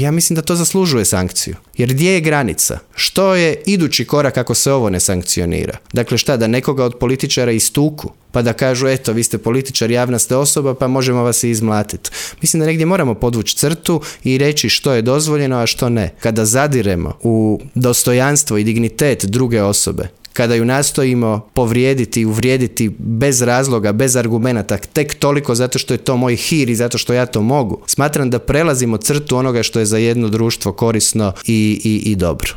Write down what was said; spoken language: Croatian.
ja mislim da to zaslužuje sankciju. Jer gdje je granica? Što je idući korak ako se ovo ne sankcionira? Dakle šta, da nekoga od političara istuku? Pa da kažu, eto, vi ste političar, javna ste osoba, pa možemo vas i izmlatiti. Mislim da negdje moramo podvući crtu i reći što je dozvoljeno, a što ne. Kada zadiremo u dostojanstvo i dignitet druge osobe, kada ju nastojimo povrijediti i uvrijediti bez razloga, bez argumenata, tek toliko zato što je to moj hir i zato što ja to mogu, smatram da prelazimo crtu onoga što je za jedno društvo korisno i dobro.